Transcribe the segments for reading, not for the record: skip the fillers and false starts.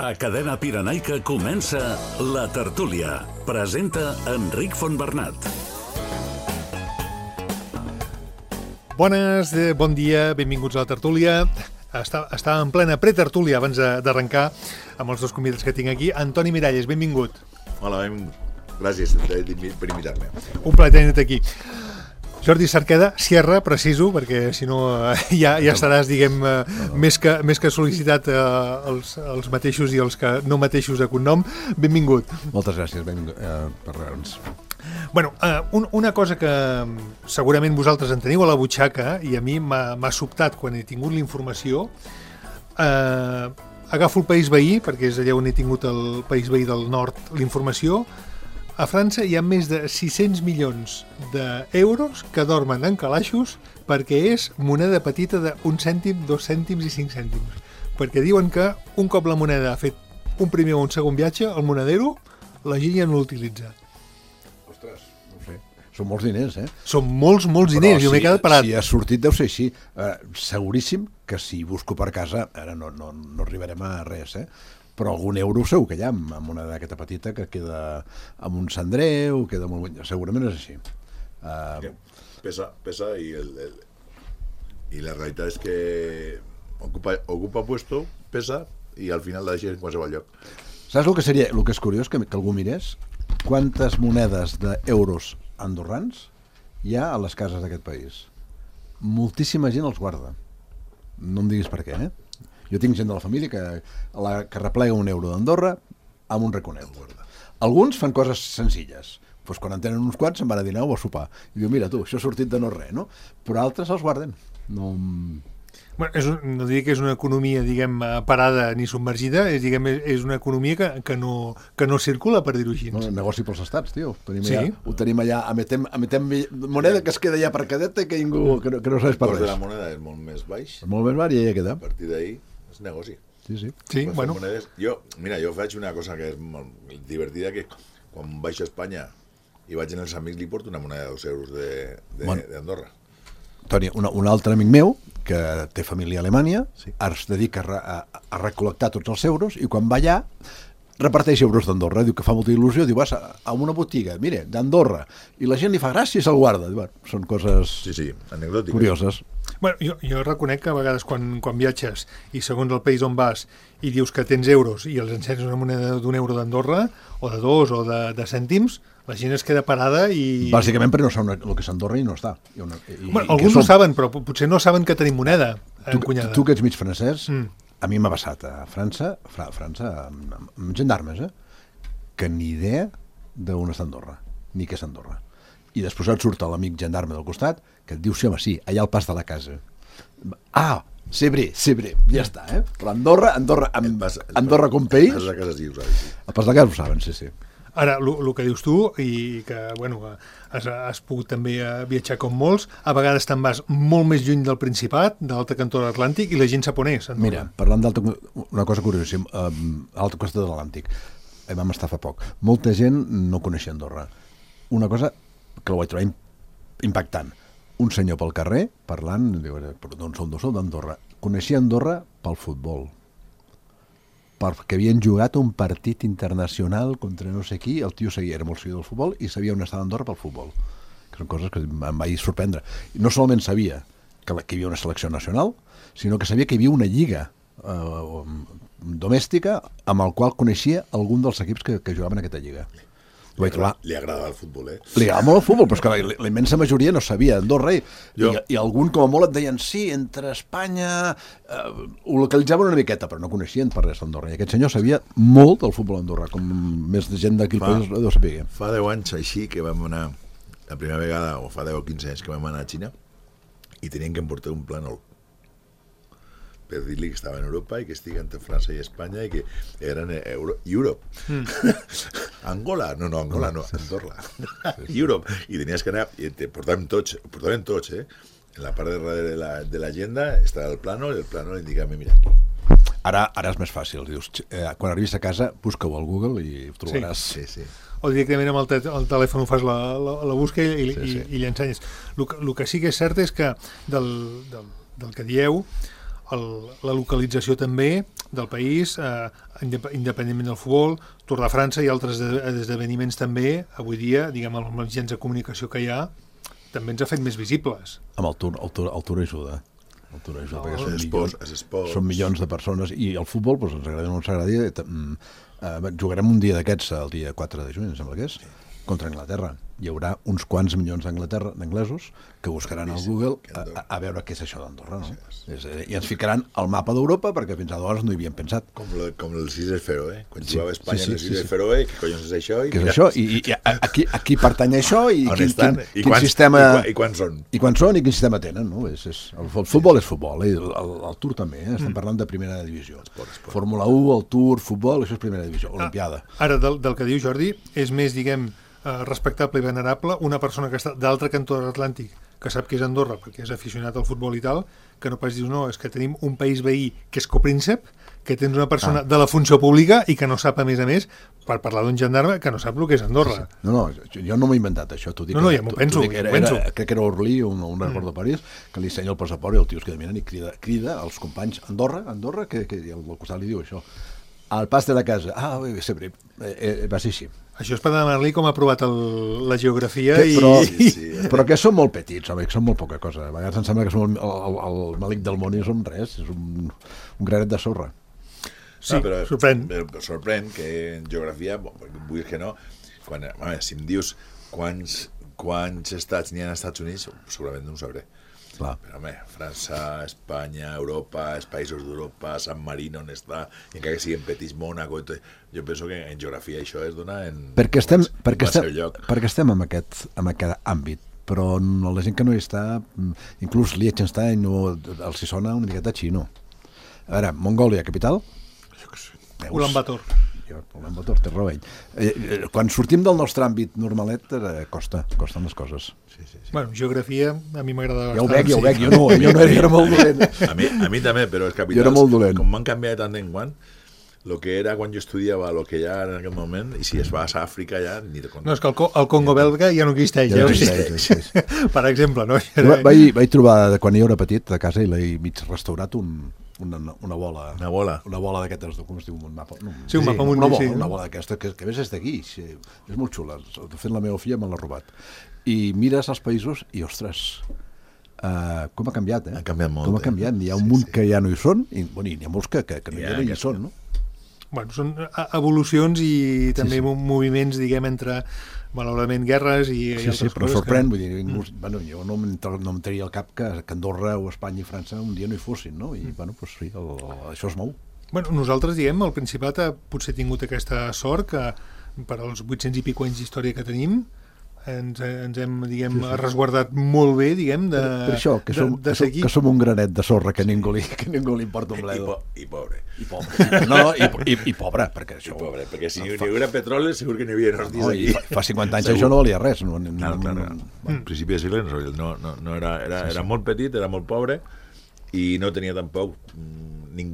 A Cadena Pirenaica comença La Tertúlia. Presenta Enric Fontbernat. Bones, bon dia, benvinguts a La Tertúlia. Està en plena pretertúlia abans d'arrencar amb els dos convidats que tinc aquí. Antoni Miralles, benvingut. Hola, gràcies per invitar-me. Un plaer tenir-te aquí. Jordi Cerqueda, Sierra, preciso, perquè si no ja estaràs, diguem, més que sol·licitat els mateixos i els que no mateixos de cognom. Benvingut. Moltes gràcies, benvingut per res. Bueno, una cosa que segurament vosaltres en teniu a la butxaca i a mi m'ha sobtat quan he tingut la informació. Agafo el país veí, perquè és allà on he tingut el país veí del nord la informació. A França hi ha més de 600 milions d'euros que dormen en calaixos perquè és moneda petita d'un cèntim, 2 cèntims i 5 cèntims. Perquè diuen que un cop la moneda ha fet un primer o un segon viatge, el monedero, la gent ja no l'utilitza. Ostres, no sé. Són molts diners, eh? Són molts diners, jo m'he quedat parat. Si ha sortit deu ser així. Seguríssim que si busco per casa, ara no arribarem a res, però algun euro segur que hi ha amb una d'aquesta petita que queda amb un cendreu, queda molt bon. Segurament és així. Pesa y la realitat és que ocupa puesto, pesa i al final la deixes en qualsevol lloc. Saps el que és curiós que algú mirés? Quantes monedes d'euros andorrans hi ha a les cases d'aquest país? Moltíssima gent els guarda. No em diguis per què, Jo tinc gent de la família que replega un euro d'Andorra amb un raconet. Alguns fan coses senzilles. Doncs quan en tenen uns quants se'n van a dinar o a sopar. I diu, mira tu, això ha sortit de no res, no? Però altres els guarden. No no diria que és una economia, diguem, parada ni submergida, és una economia que no circula, per dir-ho així. No, negoci pels estats, tio. Ho tenim allà, emetem moneda que es queda allà per cadeta i que ningú que no saps per res. El cost de la moneda és molt més baix. Molt més baix i ja queda. A partir d'ahí és negoci. Sí, bueno. Jo faig una cosa que és molt divertida, que quan vaig a Espanya i vaig en els amics li porto una moneda de 2 euros d'Andorra. Toni, un altre amic meu que té família a Alemanya es dedica a recol·lectar tots els euros i quan va allà reparteix euros d'Andorra. Diu que fa molta il·lusió, diu, vas a una botiga, mira, d'Andorra, i la gent li fa gràcia i se'l guarda. Diu, són coses anecdòtiques, curioses. Bueno, jo reconec que a vegades quan viatges i segons el país on vas i dius que tens euros i els encens una moneda d'un euro d'Andorra o de 2 o de cèntims, la gent es queda parada i... Bàsicament perquè no saben el que és Andorra i no està. Alguns ho saben, però potser no saben que tenim moneda encunyada. Tu que ets mig francès, a mi m'ha passat a França amb gendarmes, que ni idea d'on està Andorra, ni què és Andorra. I després et surt l'amic gendarme del costat que et diu, sí, home, sí, allà al pas de la casa. Sebré, ja està, Però Andorra com país... El pas de la casa sí ho saben. El pas de la casa ho saben, sí. Ara, el que dius tu, i que, bueno, has pogut també viatjar com molts, a vegades te'n vas molt més lluny del Principat, de l'altre cantó de l'Atlàntic, i la gent sap on és. Mira, parlant una cosa curiosíssima, a l'altre costat de l'Atlàntic, vam estar fa poc, molta gent no coneixia Andorra. Una cosa que la vaig trobar impactant. Un senyor pel carrer, parlant, diu, d'on sou d'Andorra. Coneixia Andorra pel futbol. Perquè havien jugat un partit internacional contra no sé qui, el tio era molt seguidor del futbol i sabia on estava Andorra pel futbol, que són coses que em vaig sorprendre. I no solament sabia que hi havia una selecció nacional, sinó que sabia que hi havia una lliga domèstica amb el qual coneixia algun dels equips que jugaven a aquesta lliga. Li agradava el futbol, Li agradava molt el futbol, però és que la immensa majoria no sabia Andorra i algun com a molt et deien sí, entre Espanya ho localitzaven una miqueta, però no coneixien per res d'Andorra, i aquest senyor sabia molt del futbol d'Andorra, com més de gent d'aquí el país deu saber. Fa 10 anys així que vam anar la primera vegada, o fa 10 o 15 anys que vam anar a Xina i tenien que emportar un plànol per dir-li que estava en Europa i que estigui entre França i Espanya i que eren Europe. Angola no, Andorra. Europe. I tenies que anar, i te portàvem tots, en la part de darrere de l'agenda estava el plànol i el plànol indicava, mira aquí. Ara és més fàcil, dius, quan arribis a casa busca-ho al Google i ho trobaràs. Sí. O directament amb el telèfon ho fas la busca i li ensenyes. El que sí que és cert és que del que dieu, la localització també del país, independentment del futbol, Tour de França i altres esdeveniments també, avui dia, diguem, amb els mitjans de comunicació que hi ha, també ens ha fet més visibles. Amb el Tour ajuda. El Tour ajuda, perquè són són milions de persones, i el futbol, doncs, ens agrada o no ens agrada, jugarem un dia d'aquests, el dia 4 de juny, em sembla que és, contra Anglaterra. Hi haurà uns quants milions d'anglesos que buscaran al Google a veure què és això d'Andorra, no? I ens ficaran al mapa d'Europa, perquè fins aleshores no hi havien pensat. Com les Illes Feroe, quan jugava a Espanya les Illes Feroe, què collons és això? Què és això? I aquí pertany això? I quin sistema... I quants són? I quants són i quin sistema tenen, no? El futbol és futbol, el Tour també, estem parlant de primera divisió. Fórmula 1, el Tour, futbol, això és primera divisió, Olimpiada. Ara, del que diu Jordi, és més, diguem, respectable i venerable una persona que està d'altre cantó de l'Atlàntic, que sap que és Andorra perquè és aficionat al futbol i tal, que no pas dius, no, és que tenim un país veí que és copríncep, que tens una persona de la funció pública i que no sap, a més, per parlar d'un gendarme, que no sap el que és Andorra. No, jo no m'he inventat això. No, ja m'ho penso. Crec que era Orly, un aeroport de París, que li ensenya el passaport i el tio es queda mirant i crida als companys Andorra, que al costat li diu això. Al pas de la casa. Sempre va ser així. Això és per demanar-li com ha aprovat la geografia però que són molt petits, home, que són molt poca cosa. A vegades em sembla que som el malic del món i som res, és un granet de sorra. Sí, però sorprèn que en geografia, vull que no, si em dius quants estats n'hi ha als Estats Units, segurament no ho sabré. Clar. Però home, França, Espanya, Europa, els països d'Europa, San Marino on està, i encara que siguin petits, Mónaco, jo penso que en geografia això es dona en perquè estem en aquest àmbit, però la gent que no hi està, inclús Liechtenstein els hi sona una miqueta xino. A veure, Mongòlia, capital? Ulan Bator. Ulan Bator, té raó ell. Quan sortim del nostre àmbit normalet, costen les coses. Sí. Bueno, geografia a mi m'agrada bastant. Ja ho veig, jo era molt dolent. A mi també, però els capitals, jo era molt dolent. Com m'han canviat tant en quant, el que era quan jo estudiava, el que hi ha en aquest moment, i si es va a Àfrica ja ni te compte. No, és que el Congo belga ja no existeix. Per exemple, no? Vaig trobar, quan jo era petit, a casa, i l'he mig restaurat una bola. Una bola d'aquestes, com es diu, un mapa? Sí, un mapa mundial. Una bola d'aquesta, que a més és d'aquí. És molt xula. De fet, la meva filla me l'ha robat. I mires els països i, ostres, com ha canviat, Ha canviat molt. Com ha canviat. Hi ha un munt que ja no hi són, i n'hi ha molts que no hi són, no? Bueno, són evolucions i també moviments, diguem, entre, malauradament, guerres i altres coses. Però sorprèn, vull dir, jo no em tenia al cap que Andorra o Espanya i França un dia no hi fossin, no? I, doncs sí, això es mou. Bueno, nosaltres, diguem, el Principat ha potser tingut aquesta sort que per als 800 i pico anys d'història que tenim ens hem, diguem, resguardat molt bé, diguem, de seguir. Que som un granet de sorra que ningú li importa un bledo. I pobre. I pobre, perquè això... I pobre, perquè si hi haguera petroli segur que n'hi havia hòsties aquí. Fa 50 anys això no valia res. Clar. Al principi de segle no era molt petit, era molt pobre i no tenia tampoc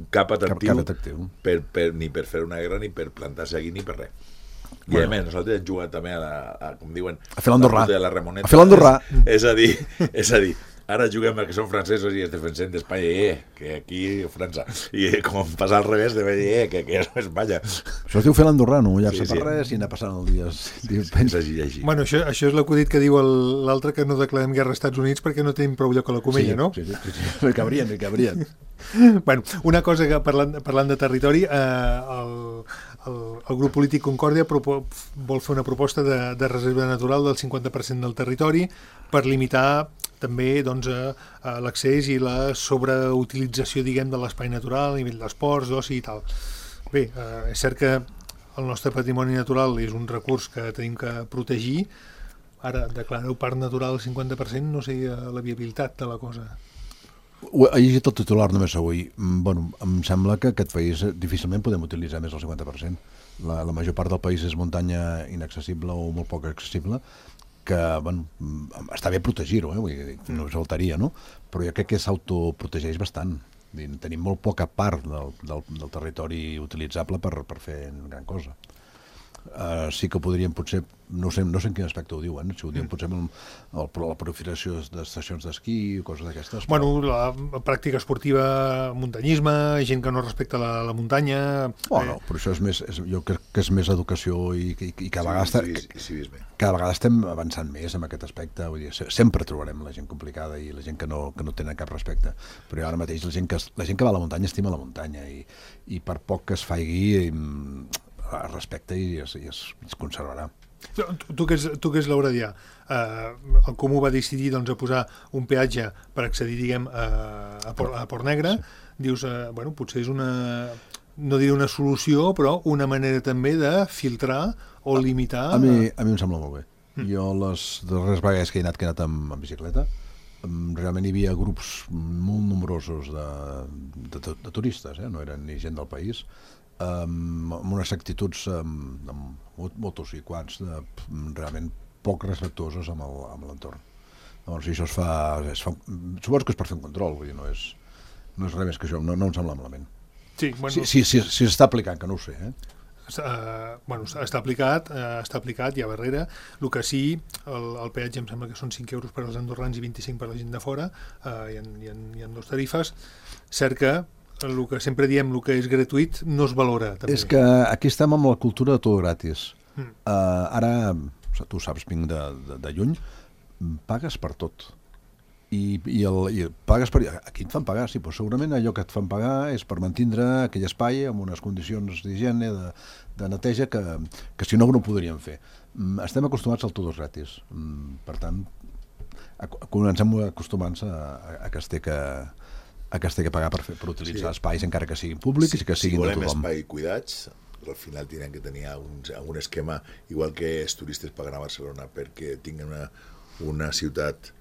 cap atractiu ni per fer una guerra, ni per plantar-se aquí, ni per res. I a més, nosaltres hem jugat també com diuen, a fer l'Andorrà. A la Ramoneta. A fer l'Andorrà. És a dir, ara juguem que són francesos i es defensem d'Espanya, que aquí França. I com passar al revés, de dir, que és Espanya. Això es diu fer l'Andorrà, no mullar-se per res i anar passant el dia. Així. Bueno, això és l'acudit que diu l'altre, que no declarem guerra als Estats Units perquè no tenim prou lloc a la comella, no? Sí. Li cabrien. Bueno, una cosa que parlant de territori, el grup polític Concòrdia vol fer una proposta de reserva natural del 50% del territori per limitar també l'accés i la sobreutilització, diguem, de l'espai natural a nivell d'esports, d'oci i tal. Bé, és cert que el nostre patrimoni natural és un recurs que tenim que protegir. Ara, declarar-ho parc natural al 50% no sé la viabilitat de la cosa. He llegit el titular només avui. Em sembla que aquest país difícilment podem utilitzar més del 50%. La major part del país és muntanya inaccessible o molt poc accessible, que està bé protegir-ho, no us faltaria, no? Però jo crec que s'autoprotegeix bastant. Tenim molt poca part del territori utilitzable per fer gran cosa. sí que podríem potser, no sé en quin aspecte ho diuen, si ho diuen potser amb la proliferació d'estacions d'esquí o coses d'aquestes. Bueno, la pràctica esportiva, muntanyisme, gent que no respecta la muntanya... Bueno, però això és més, jo crec que és més educació i cada vegada cada vegada estem avançant més en aquest aspecte, vull dir, sempre trobarem la gent complicada i la gent que no tenen cap respecte, però ara mateix la gent que va a la muntanya estima la muntanya i per poc que es faigui es respecta i es conservarà. Tu que és l'Aurelià, el Comú va decidir doncs, a posar un peatge per accedir, diguem, a Port Negre. Sí. Dius, bueno, potser és una, no diré una solució, però una manera també de filtrar o limitar... A mi em sembla molt bé. Jo les darreres vegades que he anat amb bicicleta, realment hi havia grups molt nombrosos de turistes, no eren ni gent del país, amb unes actituds amb motos i quads realment poc respectuoses amb l'entorn. Llavors, si això es fa... Suposo que és per fer un control, vull dir, no és res més que això, no em sembla malament. Sí, bueno... Si s'està aplicant, que no ho sé, bueno, està aplicat ja a Barrera. El que sí, el peatge em sembla que són 5 euros per als andorrans i 25 per a la gent de fora, hi ha dos tarifes. Cert que el que sempre diem, el que és gratuït no es valora també. És que aquí estem amb la cultura de tot gratis. Ara, tu saps, vinc de lluny, pagues per tot. I pagues per... Aquí et fan pagar, sí, però segurament allò que et fan pagar és per mantindre aquell espai amb unes condicions d'higiene, de neteja, que si no ho podríem fer. Estem acostumats al tot gratis. Per tant, comencem acostumant-se a que es té que pagar per utilitzar espais, encara que siguin públics i que siguin de tothom. Si volem espai cuidats, al final tindran que tenir algun esquema, igual que els turistes paguen a Barcelona perquè tinguin una ciutat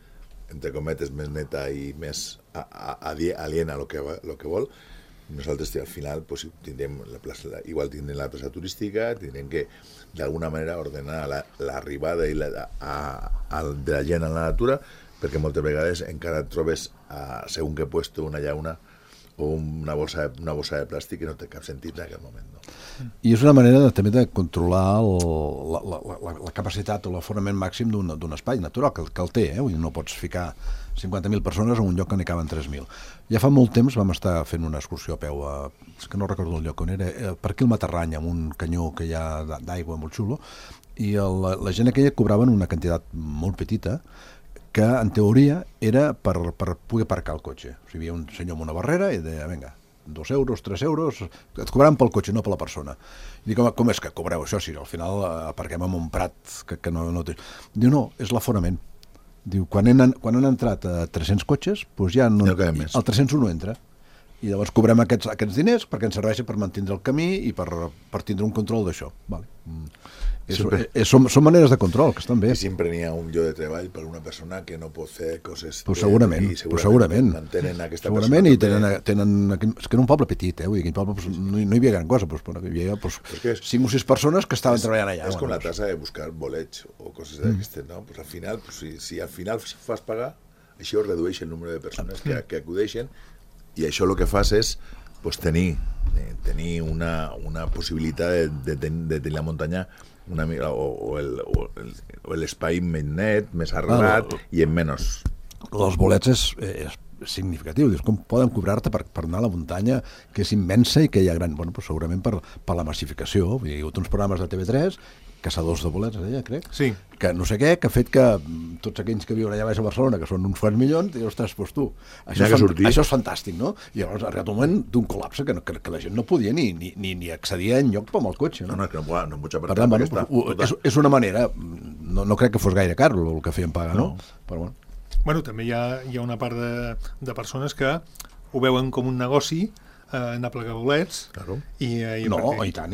entre cometes, més neta i més aliena a lo que vol. Nosaltres al final pues, tindrem igual tindrem la plaça turística, tindrem que d'alguna manera ordenar l'arribada de la gent a la natura, perquè moltes vegades encara et trobes segons que puesto una llauna o una bossa de plàstic que no té cap sentit en aquest moment. No? I és una manera també de controlar la capacitat o l'aforament màxim d'un espai natural, que el té, vull dir, no pots ficar 50.000 persones en un lloc que n'hi caben 3.000. Ja fa molt temps vam estar fent una excursió a peu, és que no recordo el lloc on era, per aquí al Matarrany, amb un canyó que hi ha d'aigua molt xulo, i la gent aquella cobraven una quantitat molt petita, que en teoria era per poder aparcar el cotxe. O sigui, hi havia un senyor amb una barrera i deia, vinga, 2 euros, 3 euros, et cobraran pel cotxe, no per la persona. I dic, com és que cobreu això? Si al final aparquem en un prat que no té... Diu, no, és l'aforament. Diu, quan han entrat 300 cotxes, doncs ja no, el 301 entra. I llavors cobrem aquests diners perquè ens serveixen per mantenir el camí i per tindre un control d'això. Vale. Són maneres de control que estan bé. I sempre n'hi ha un lloc de treball per una persona que no pot fer coses... Però segurament. Mantenen aquesta segurament, persona. I tenen... És que era un poble petit, vull dir, aquell poble no hi havia gran cosa, hi havia 5 o 6 persones que estaven treballant allà. És com la tassa de buscar bolets o coses d'aquestes, no? Pues al final, si al final fas pagar, això redueix el número de persones que acudeixen i això el que fas és tenir una possibilitat de tenir la muntanya una mica, o l'espai més net, més arrelat i en menys. Els bolets és significatiu, dius, com poden cobrar-te per anar a la muntanya, que és immensa i que hi ha gran... Bueno, segurament per la massificació. Hi ha hagut uns programes de TV3, Caçadors de bolets, crec, sí. Que no sé què, que ha fet que tots aquells que viuen allà baix a Barcelona, que són uns quants milions, dius, ostres, doncs tu, això és fantàstic, no? I llavors ha arribat un moment d'un col·lapse que la gent no podia ni accedir enlloc amb el cotxe, no? No pots per tant, és una manera, no crec que fos gaire car el que feien pagar, no? Però bueno. Bueno, també hi ha una part de persones que ho veuen com un negoci, anar a plegar bolets. Claro. I tant,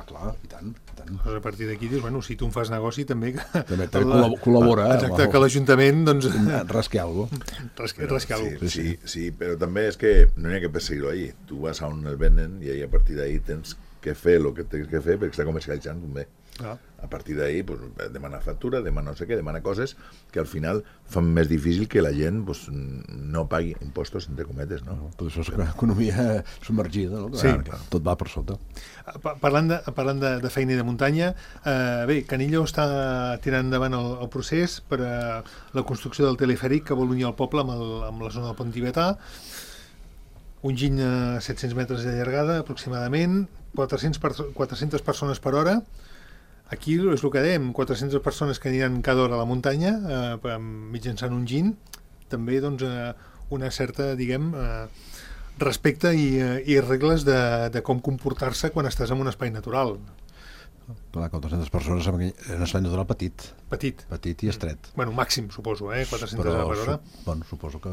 clar, i tant. A partir d'aquí dius, bueno, si tu em fas negoci també col·labora. Exacte, que l'Ajuntament doncs... rasqui alguna cosa. Sí, però també és que no n'hi ha que perseguir-ho allí. Tu vas a on el venen i a partir d'ahí tens que fer el que tens que fer perquè està comercialitzant bé. A partir d'ahí, pues, demana factura, demana no sé què, demana coses que al final fan més difícil que la gent pues, no pagui impostos, entre cometes, no? Tot això és economia submergida, no? Sí. Clar, tot va per sota. Parlant de feina i de muntanya, bé, Canillo està tirant endavant el procés per a la construcció del telefèric que vol unir el poble amb la zona del Pont Tibetà. Un giny a 700 metres de llargada, aproximadament, 400 persones per hora. Aquí és el que dèiem, 400 persones que aniran cada hora a la muntanya mitjançant un giny, també doncs, una certa, diguem, respecte i regles de com comportar-se quan estàs en un espai natural. Clar, 400 persones en un espai natural petit. Petit i estret. Bueno, màxim, suposo, 400 per hora. Bueno, suposo que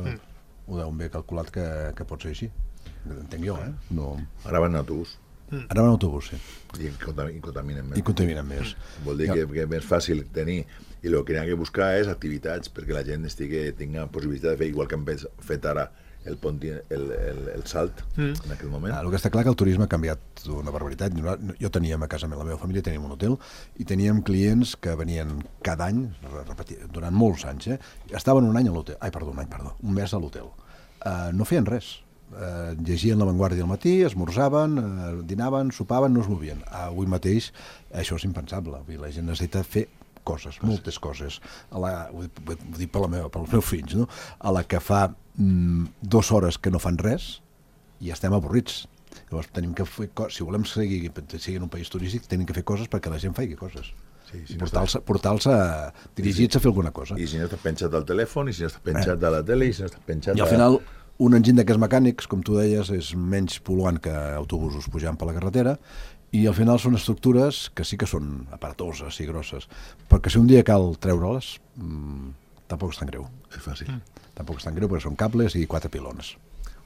ho deuen haver calculat que pot ser així. Entenc jo, No... Ara van en autobús. Ara van en autobús, sí. I contaminen més. I contaminen més. Vol dir que és més fàcil tenir, i el que hi ha que buscar és activitats perquè la gent tinga possibilitat de fer, igual que hem fet ara el salt en aquell moment. El que està clar que el turisme ha canviat una barbaritat. Jo teníem a casa, la meva família teníem un hotel i teníem clients que venien cada any, durant molts anys, estaven un mes a l'hotel. No feien res. Llegien La Vanguardia al matí, esmorzaven, dinaven, sopaven, no es movien. Avui mateix això és impensable. La gent necessita fer coses, moltes coses. Ho dic pels meus fills, no? A la que fa 2 hores que no fan res i estem avorrits. Llavors tenim que fer si volem seguir en un país turístic, tenim que fer coses perquè la gent faci coses. Sí, si portar-los dirigits a fer alguna cosa. I si no estàs penjat al telèfon, i si no estàs penjat a la tele, i si no estàs penjat I al final un enginy d'aquests mecànics, com tu deies, és menys pol·luant que autobusos pujant per la carretera i al final són estructures que sí que són aparatoses i grosses, perquè si un dia cal treure-les, tampoc és tan greu. És fàcil. Tampoc és tan greu perquè són cables i 4 pilons.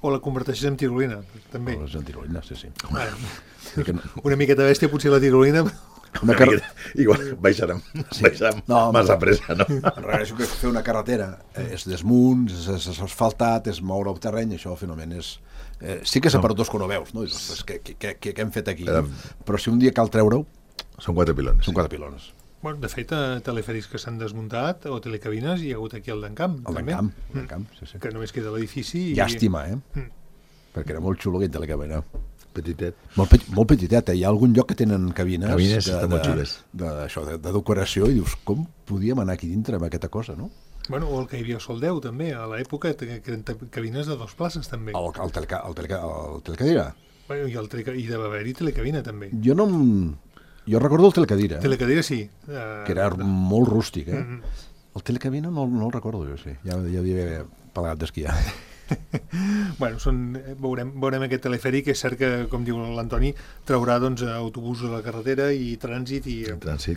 O la converteixes en tirolina, també. O en tirolina, sí. Una miqueta bèstia, potser la tirolina... Igual baixarem massa pressa, no? Això que fer una carretera és desmunt, és asfaltat, és moure el terreny, això finalment és... Sí que és aparatós que no veus, no? Què hem fet aquí? Però si un dia cal treure-ho... Són 4 pilones. Són 4 pilones. Bueno, de fet, telefèrics que s'han desmuntat o telecabines hi ha hagut aquí al d'Encamp. Al d'Encamp, sí. Que només queda l'edifici. Llàstima, perquè era molt xulo aquell telecabina. Petitet. Molt petitet, hi ha algun lloc que tenen cabines de decoració i dius, com podíem anar aquí dintre amb aquesta cosa, no? Bueno, o el que hi havia a Soldeu, també, a l'època, que eren cabines de 2 places, també. El telecadira? Bueno, i de haver-hi telecabina, també. Jo recordo el telecadira. Telecadira, sí. Que era molt rústic, El telecabina no el recordo jo, sí. Ja havia haver plegat d'esquiar. Bueno, veurem aquest telefèric, és cert que, com diu l'Antoni, traurà autobús a la carretera i trànsit, i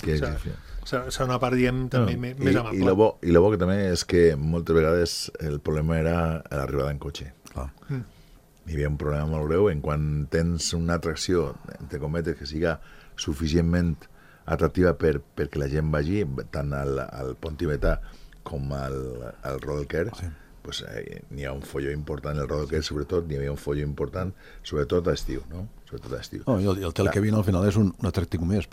que serà una part, diguem, també més amable. I el bo que també és que moltes vegades el problema era l'arribada en cotxe. Hi havia un problema molt greu en quan tens una atracció, entre cometes, que siga suficientment atractiva perquè la gent vagi, tant al Pont Tibetà com al Rodelquer, pues, n'hi ha un folló important, el Rodelquer sobretot, n'hi havia un folló important, sobretot a estiu, no? Sobretot a estiu. I el telecabina al final és un atractiu més,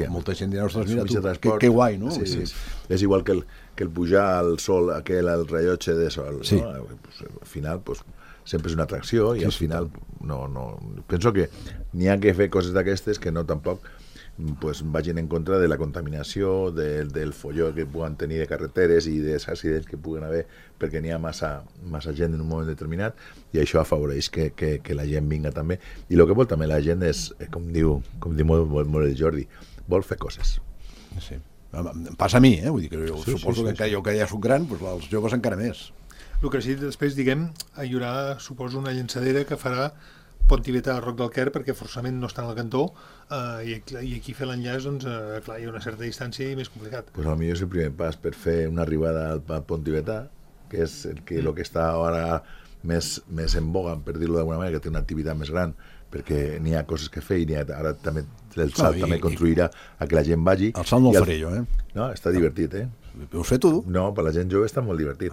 molta gent dirà, ostres, mira tu, que guai, no? Sí. És igual que el pujar al sol, al rellotge de sol, no? Pues, al final, pues, sempre és una atracció i al final no. Penso que n'hi ha que fer coses d'aquestes que no tampoc pues, vagin en contra de la contaminació, del folló que puguen tenir de carreteres i dels accidents que puguen haver perquè n'hi ha massa gent en un moment determinat, i això afavoreix que la gent vinga també. I el que vol també la gent és, com diu molt el Jordi, vol fer coses. Sí. Em passa a mi, vull dir que jo suposo que jo que ja soc gran, doncs els joves encara més. El que sí, després, diguem, hi haurà, suposo, una llançadera que farà Pont Tibetà a Roc del Quer, perquè forçament no està al cantó, i aquí fer l'enllaç, doncs, clar, hi ha una certa distància i més complicat. Pues potser és el primer pas per fer una arribada al Pont Tibetà, que és el que està ara més en boga, per dir-ho d'alguna manera, que té una activitat més gran, perquè n'hi ha coses que fer, i ara també el salt també contribuirà a que la gent vagi. El salt no el faré jo, No, està divertit, Ho sé tu? No, per la gent jove està molt divertit.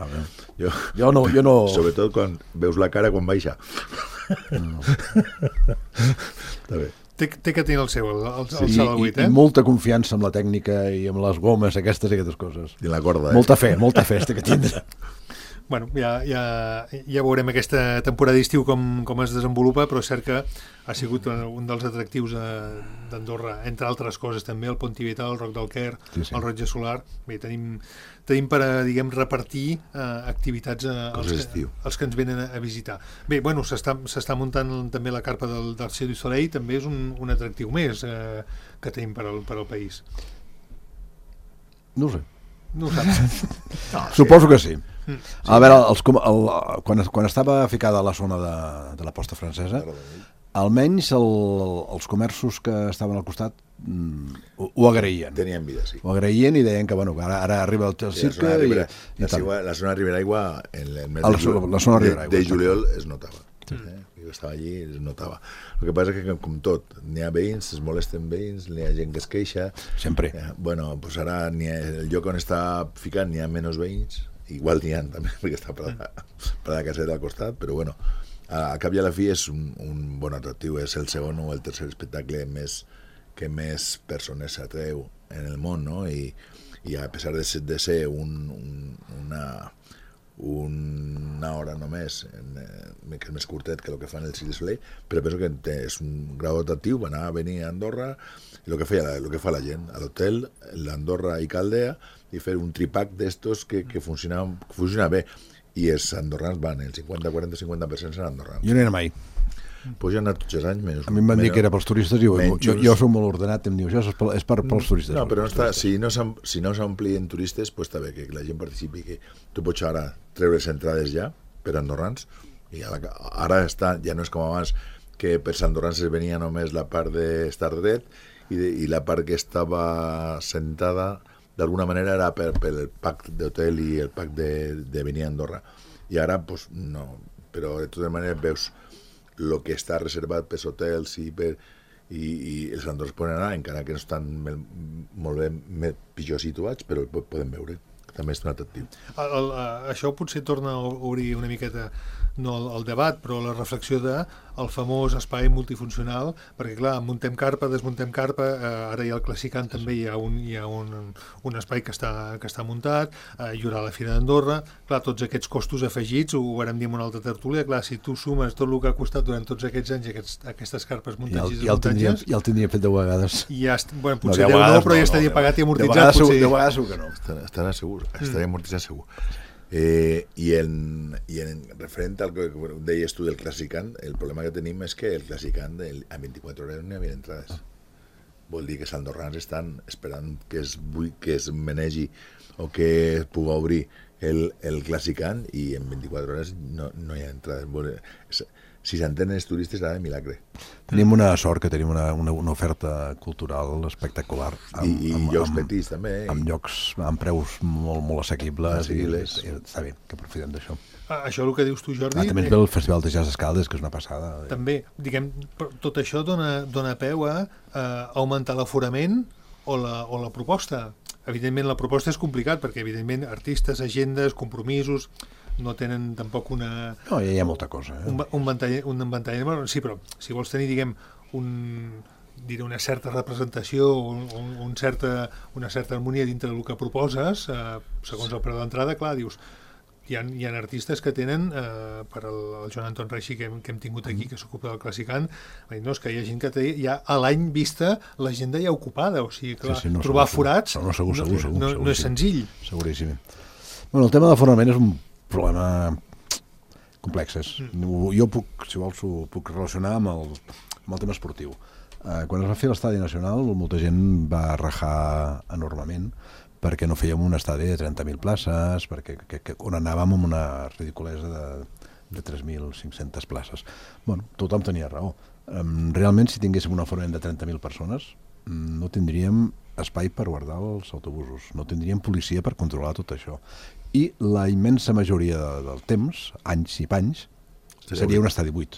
Jo no... Sobretot quan veus la cara quan baixa. No. Està bé. Té que tenir el seu, el I salt al 8, i molta confiança amb la tècnica i amb les gomes, aquestes i aquestes coses. I la corda, Molta fe té que tindre. Bueno, ja veurem aquesta temporada d'estiu com es desenvolupa, però és cert que ha sigut un dels atractius d'Andorra, entre altres coses també, el Pont Tibetà, el Roc del Quer, Sí. el Rotge Solar. Bé, tenim per a, diguem, repartir activitats als que ens venen a visitar. Bé, bueno, s'està muntant també la carpa del Cirque du Soleil, també és un atractiu més que tenim per al país. No ho sé. No ho saps? Suposo que sí. A veure, quan estava ficada a la zona de la posta francesa, almenys els comerços que estaven al costat ho agraïen. Tenien vida, sí. Ho agraïen i deien que bueno, ara arriba el cirque i tal. La zona de Riberaigua en el mes la zona de Riberaigua, de juliol es notava. Jo estava allí i es notava. El que passa és que, com tot, n'hi ha veïns, es molesten veïns, n'hi ha gent que es queixa. Sempre. Bueno, pues ara el lloc on està ficant n'hi ha menys veïns, igual n'hi ha també, perquè està per la caseta al costat, però bueno, al cap i a la fi és un bon atractiu, és el segon o el tercer espectacle que més persones s'atreu en el món, no? I a pesar de ser una hora només, que és més curtet que el que fan el Cirque du Soleil, però penso que és un grau atractiu anar a venir a Andorra, i el que fa la gent a l'hotel, l'Andorra i Caldea, i fer un tripack d'estos que funciona bé, i els andorrans van, el 50-40-50% són andorrans. Jo no era mai. Pues jo he anat tots els anys menys. A mi em van dir que era pels turistes i jo soc molt ordenat, em diu, això és pels turistes. No, però si no s'omplien turistes, pues està bé que la gent participi, que tu pots ara treure les entrades ja per andorrans, i ara ja no és com abans, que per andorrans es venia només la part d'estar dret i la part que estava sentada d'alguna manera era per el pack d'hotel i el pack de venir a Andorra. I ara, pues, no. Però de totes maneres veus el que està reservat per hotels i els andorrans poden anar, encara que no estan molt bé pitjor situats, però poden veure. També és un atractiu. Això potser torna a obrir una miqueta, no el debat, però la reflexió del famós espai multifuncional, perquè clar, muntem carpa, desmuntem carpa, ara hi ha el Classicant, també hi ha un espai que està muntat, hi haurà la Fira d'Andorra, clar, tots aquests costos afegits, ho vam dir en una altra tertúlia, clar, si tu sumes tot el que ha costat durant tots aquests anys aquestes carpes muntatges i desmuntatges... Ja el tindria fet 10 vegades. Bueno, potser 10 no, però ja estaria pagat i amortitzat. 10 vegades segur que no. Estarà segur, estaria amortitzat segur. I en referent al que deies tu del Classicant, el problema que tenim és que el Classicant a 24 hores no hi havia entrades. Vol dir que els andorrans estan esperant que es manegi o que es pugui obrir el Classicant i en 24 hores no hi ha entrades. Si s'entenen els turistes, serà de milagre. Tenim una sort que tenim una oferta cultural espectacular. I llocs petits, també. Amb llocs, amb preus molt assequibles. I està bé, que aprofitem d'això. Això el que dius tu, Jordi... També és el Festival de Jazz Escaldes, que és una passada. També, diguem, tot això dona peu a augmentar l'aforament o la proposta. Evidentment, la proposta és complicat, perquè, evidentment, artistes, agendes, compromisos... no tenen tampoc una... No, ja hi ha molta cosa. Un ventall... Sí, però si vols tenir, diguem, una certa representació, una certa harmonia dintre del que proposes, segons el preu d'entrada, clar, dius, hi ha artistes que tenen, per el Joan Anton Reixi que hem tingut aquí, que s'ocupa del Classicant, no, és que hi ha gent que té ja a l'any vista l'agenda ja ocupada, o sigui, clar, trobar forats no és senzill. Seguríssim. Bueno, el tema de l'aforament és un problema complexes. Jo si vols, ho puc relacionar amb el tema esportiu. Quan es va fer l'Estadi Nacional, molta gent va rajar enormement perquè no fèiem un estadi de 30.000 places, on anàvem amb una ridiculesa de 3.500 places. Bueno, tothom tenia raó. Realment, si tinguéssim un aforament de 30.000 persones, no tindríem espai per guardar els autobusos, no tindríem policia per controlar tot això. I la immensa majoria del temps, anys i panys, seria un estadi buit.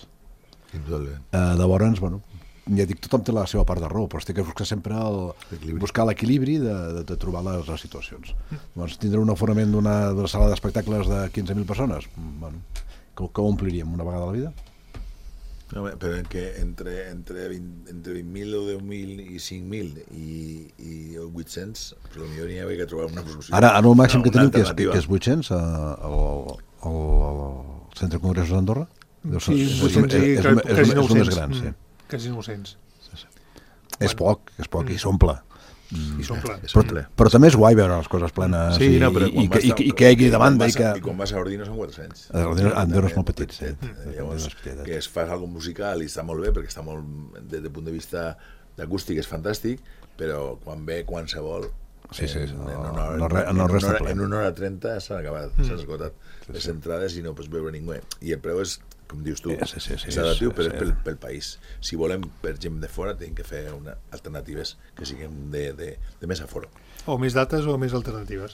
Llavors, bueno, ja dic, tothom té la seva part de raó, però té que buscar sempre buscar l'equilibri de trobar les situacions. Llavors, tindre un aforament d'una sala d'espectacles de 15.000 persones, bueno, que ompliríem una vegada a la vida? No, però entre 20.000 o 10.000 i 5.000 i 800, però potser n'hi havia que trobar una solució. Ara el màxim que teniu, que és 800 al Centre de Congressos d'Andorra? Sí, 800 i quasi 900. És el més gran, sí. Quasi 900. És poc, i s'omple. I s'omple. Però també és guai veure les coses plenes i que hi hagi demanda. I quan vas a Ordino són 400. Andorra és molt petit, sí. Llavors, que es fa alguna cosa musical i està molt bé, perquè està molt, des del punt de vista d'acústic és fantàstic, però quan ve qualsevol en una hora 30 s'han acabat, s'han esgotat les entrades i no pots veure ningú. I el preu és, com dius tu, és adaptiu, però és pel país. Si volem per gent de fora, tenim que fer alternatives que siguin de més aforo. O més dates o més alternatives.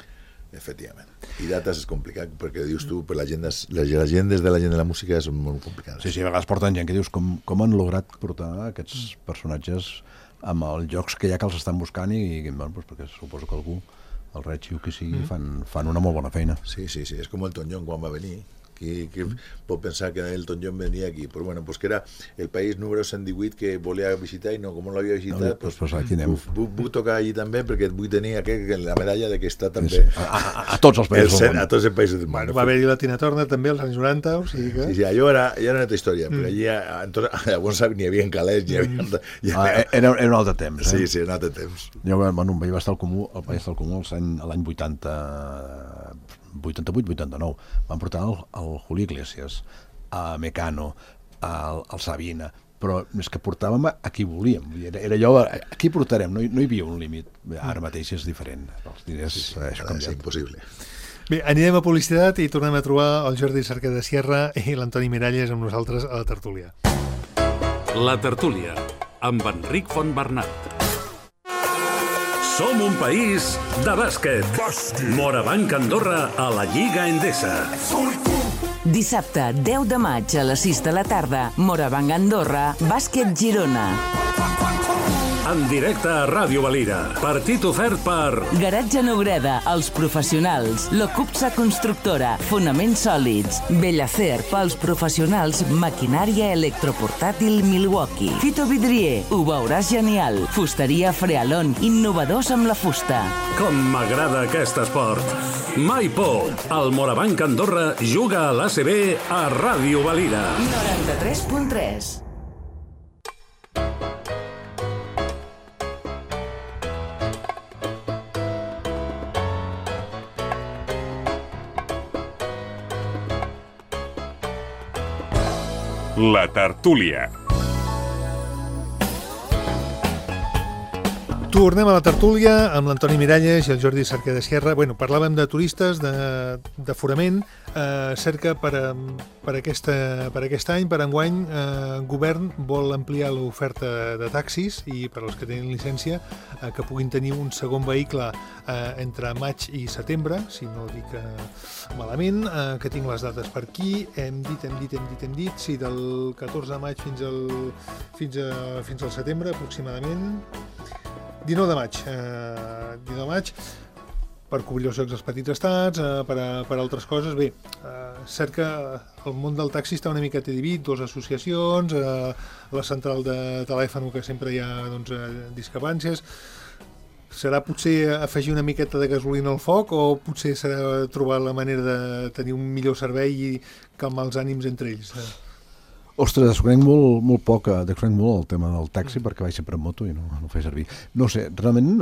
Efectivament. I dates és complicat, perquè dius tu, per les agendes de la gent de la música són molt complicades. Sí, a vegades porten gent que dius com han lograt portar aquests personatges amb els jocs que ja que els estan buscant i perquè suposo que algú, el Reig o qui sigui, fan una molt bona feina. Sí, és com el Elton John quan va venir. Qui pot pensar que Elton John venia aquí? Però bueno, pues que era el país número 118 que volia visitar i no, com no l'havia visitat, pues aquí anem. Vull tocar allí també perquè vull tenir la medalla de que està també a tots els països del món. A tots els països del món. Va haver-hi la Tina Turner també als anys 90, o sigui que... Sí, allò era una altra història, perquè allí llavors n'hi havia calés, era un altre temps. Sí, un altre temps. Jo, bueno, vaig estar al Comú, l'any 88-89, van portar el Julio Iglesias, a Mecano, al Sabina, però és que portàvem a qui volíem. Era allò, a qui portarem? No hi havia un límit. Ara mateix és diferent. Els diners és canviat. És impossible. Bé, anirem a publicitat i tornem a trobar el Jordi Cerca de Sierra i l'Antoni Miralles amb nosaltres a la tertúlia. La tertúlia, amb Enric Fontbernat. Som un país de bàsquet. Morabanc Andorra a la Lliga Endesa. Dissabte, 10 de maig a les 6 de la tarda, Morabanc Andorra, Bàsquet Girona. En directe a Ràdio Valira. Partit ofert per... Garatge Nobreda, Els Professionals, Locupsa Constructora, Fonaments Sòlids, Bellacer, pels professionals, Maquinària Electroportàtil Milwaukee, Fito Vidrier, ho veuràs genial, Fusteria Frealon, innovadors amb la fusta. Com m'agrada aquest esport. Mai por. El Morabanc Andorra juga a l'ACB a Ràdio Valira. 93.3. La tertúlia. Tornem a la tertúlia amb l'Antoni Miralles i el Jordi Cerca de Sierra. Bueno, parlàvem de turistes, d'aforament. Cerca per aquest any, per enguany, govern vol ampliar l'oferta de taxis i per als que tenen llicència que puguin tenir un segon vehicle entre maig i setembre, si no dic malament, que tinc les dates per aquí. Hem dit, sí, del 14 de maig fins al setembre, aproximadament. 19 de maig, per cobrir els jocs dels petits estats, per altres coses. Bé, Cerca, el món del taxi està una miqueta dividit, dues associacions, la central de telèfon, que sempre hi ha discrepàncies. Serà potser afegir una miqueta de gasolina al foc o potser serà trobar la manera de tenir un millor servei i calmar els ànims entre ells? Ostres, desconec molt poc el tema del taxi perquè vaig sempre en moto i no ho faig servir. No sé, realment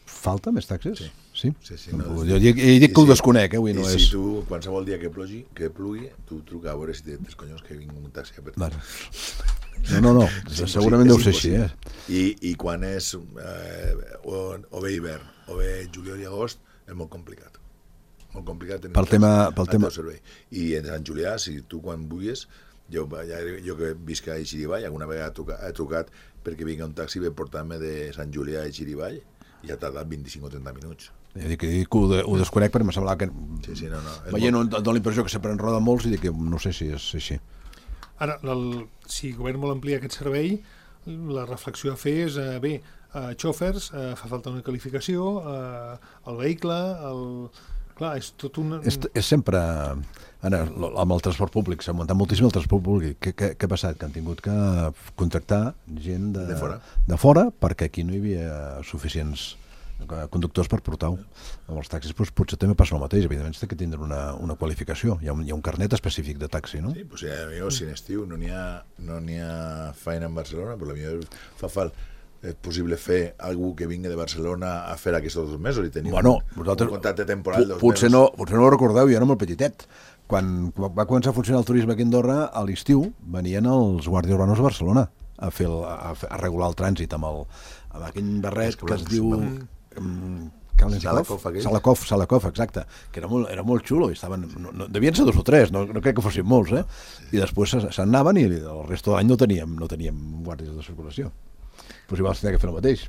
falta més taxis? Sí? Jo dic que ho desconec, avui no és... Si tu, qualsevol dia que plugui, tu truca a veure si tens collons que vingui un taxi a per tu. No, segurament deu ser així. I quan és o bé hivern o bé juliol i agost, és molt complicat. Molt complicat tenir el teu servei. I en Sant Julià, si tu quan vulguis, jo que visc a Xirivall, alguna vegada he trucat perquè vinga un taxi per portar-me de Sant Julià a Xirivall i ha tardat 25 o 30 minuts. Jo dic que ho desconec perquè m'ha semblat que... Sí, no. Veient, dono la impressió que sempre en roda molts i dic que no sé si és així. Ara, si el govern vol ampliar aquest servei, la reflexió a fer és, xòfers, fa falta una qualificació, el vehicle, Clar, és tot una... És sempre... Ara, amb el transport públic, s'ha augmentat moltíssim el transport públic. Què ha passat? Que han tingut que contractar gent de fora perquè aquí no hi havia suficients conductors per portar-ho. Amb els taxis potser també passa el mateix. Evidentment, té que tindre una qualificació. Hi ha un carnet específic de taxi, no? Sí, pues si en estiu no n'hi ha feina en Barcelona, però potser és possible fer algú que vingui de Barcelona a fer aquests 2 mesos i tenir un contracte temporal de 2 mesos. Potser no ho recordeu, jo era molt petitet. Quan va començar a funcionar el turisme aquí a Andorra, a l'estiu venien els guàrdies urbanos a Barcelona a regular el trànsit amb aquell barret que es diu... Salakov, exacte, que era molt xulo i estaven, devien ser 2 o 3, no crec que fossin molts, i després se'n anaven i el resto de l'any no teníem guàrdies de circulació. Però si vols tenir que fer el mateix.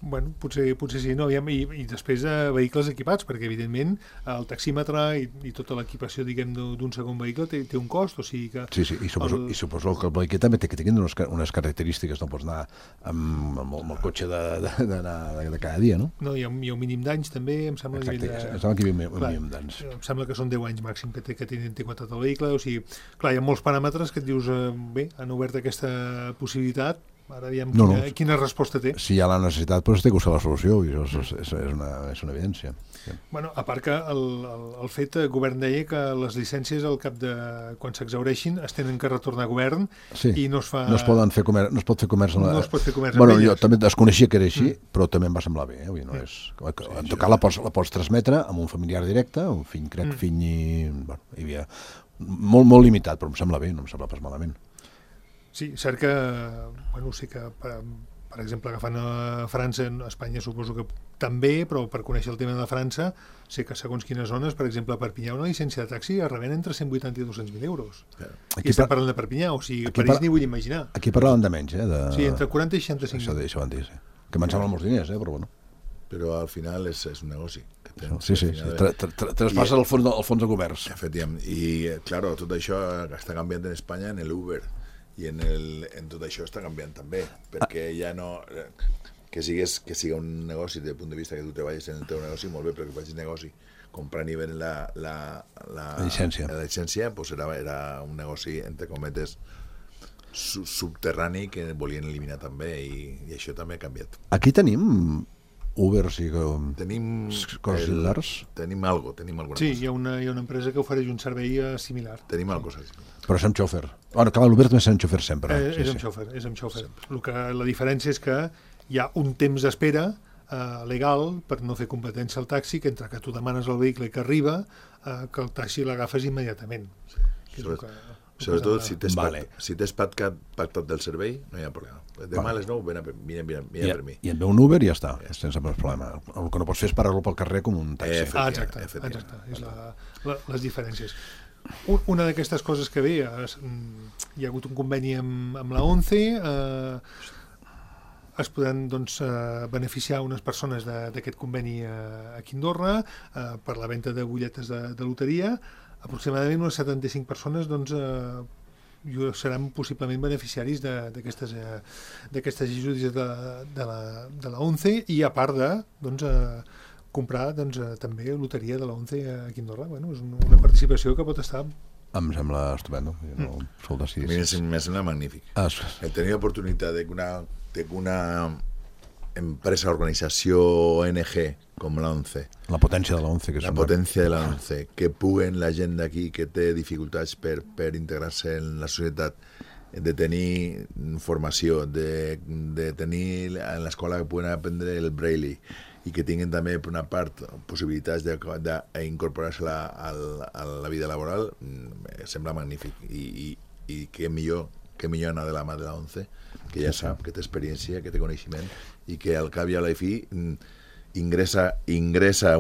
Bueno, potser sí, no? I després vehicles equipats, perquè evidentment el taxímetre i tota l'equipació, diguem, d'un segon vehicle té un cost, o sigui que... Sí, i suposo que el vehicle també té que tenir unes característiques, no pots anar amb el cotxe de cada dia, no? No, hi ha un mínim d'anys també, em sembla... Exacte, em sembla que hi havia un mínim d'anys. Em sembla que són 10 anys màxim que té contractat el vehicle, o sigui, clar, hi ha molts paràmetres que et dius, bé, han obert aquesta possibilitat. Ara diem quina resposta té. Si hi ha la necessitat, doncs té que buscar la solució, i això és una evidència. Sí. Bueno, a part que el fet, el govern deia que les llicències al cap de quan s'exhaureixin es tenen que retornar a govern i no es fa... No es pot fer comerç no es pot fer comerç amb elles. Jo també desconeixia que era així, però també em va semblar bé. En tot cas la pots transmetre amb un familiar directe, un fill, hi havia molt limitat, però em sembla bé, no em sembla pas malament. Sí, cert que, sé que, per exemple, agafant a França, a Espanya suposo que també, però per conèixer el tema de França, sé que segons quines zones, per exemple, a Perpinyà, una llicència de taxi es rebent entre 180 i 200.000 euros. I estem parlant de Perpinyà, o sigui, París ni vull imaginar. Aquí parlaven de menys, Sí, entre 40 i 65. Això van dir, sí. Que me'n semblen molts diners, però bueno. Però al final és un negoci. Sí, traspassa el fons de governs. Efectivament. I, clar, tot això està canviant en Espanya en l'Uber. I en tot això està canviant també, perquè ja no... Que siga un negoci des del punt de vista que tu treballes en el teu negoci, molt bé, però que facis negoci comprant i venent la llicència, doncs era un negoci, entre cometes, subterrani que volien eliminar també, i això també ha canviat. Aquí tenim Uber, tenim coses similars? Tenim alguna cosa. Sí, hi ha una empresa que ofereix un servei similar. Tenim alguna cosa similar. Però és amb xòfer. Bueno, clar, l'Uber també és amb xòfer sempre. És amb xòfer. La diferència és que hi ha un temps d'espera legal per no fer competència al taxi, que entre que tu demanes el vehicle i que arriba, que el taxi l'agafes immediatament. Sobretot si t'has pactat del servei, no hi ha problema. Demà a les 9 vine per mi. I et ve un Uber i ja està, sense més problema. El que no pots fer és parar-lo pel carrer com un taxi. Exacte. És les diferències. Una d'aquestes coses que ve, hi ha hagut un conveni amb la ONCE, es podran beneficiar unes persones d'aquest conveni aquí a Andorra per la venda de butlletes de loteria. Aproximadament unes 75 persones seran possiblement beneficiaris d'aquestes ajudes de la ONCE, i a part de comprar també loteria de la ONCE aquí a Andorra. És una participació que pot estar... Em sembla estupendo. A mi me sembla magnífic. El tenir l'oportunitat de que una empresa, organització, ONG com la ONCE, la potència de la ONCE, que puguen la gent d'aquí que té dificultats per integrar-se en la societat, de tenir formació, de tenir en l'escola que puguen aprendre el braille, i que tinguin també per una part possibilitats d'incorporar-se a la vida laboral, sembla magnífic, i que millor anar de la mà de la ONCE, que ja sap, que té experiència, que té coneixement, i que al cap i a la fi ingressa